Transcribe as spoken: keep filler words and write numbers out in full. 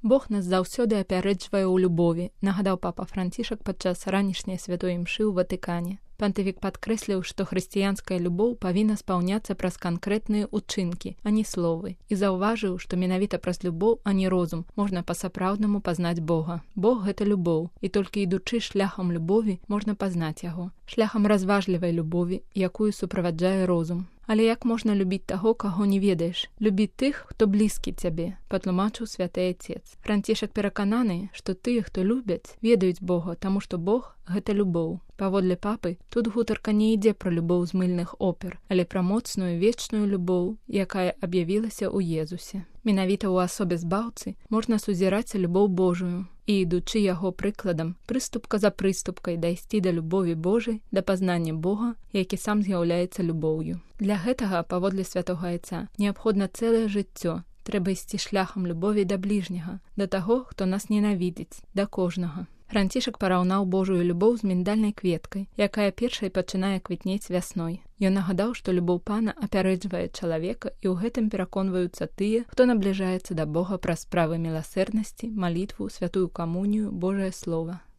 Бог нас заўсёды апярэджвае ў любові, нагадаў папа Францішак падчас ранішняй святой імшы ў Ватыкане. Пантыфік падкрэсліў, што хрысціянская любоў павінна спаўняцца праз канкрэтныя ўчынкі, а не словы, і заўважыў, што менавіта праз любоў, а не розум, можна па-сапраўднаму пазнаць Бога. Бог — гэта любоў, і толькі ідучы шляхам любові, можна пазнаць яго. Шляхам разважлівай любові, якую суправаджае розум. Але як можна любіць таго, каго не ведаеш? Любі тых, хто блізкі цябе, патлумачыў святы Айцец. Францішак перакананы, што тыя, хто любяць, ведаюць Бога, таму што Бог — гэта любоў. Паводле папы, тут гутарка не ідзе пра любоў з мыльных опер, але пра моцную вечную любоў, якая аб'явілася ў Езусе. Менавіта ў асобе збаўцы можна сузіраць любоў Божую і, ідучы яго прыкладам, прыступка за прыступкай дайсці да любові Божай, да пазнання Бога, які сам з'яўляецца любоўю. Для гэтага, паводле святога Айца, неабходна цэлае жыццё. Трэба ісці шляхам любові да бліжняга, да таго, хто нас ненавідзіць, да кожнага. Францішак параўнаў Божую любоў з міндальнай кветкай, якая першай пачынае квітнець вясной. Ён нагадаў, што любоў Пана апярэджвае чалавека, і ў гэтым пераконваюцца тыя, хто набліжаецца да Бога праз справы міласэрнасці, малітву, святую камунію, Божае Слова.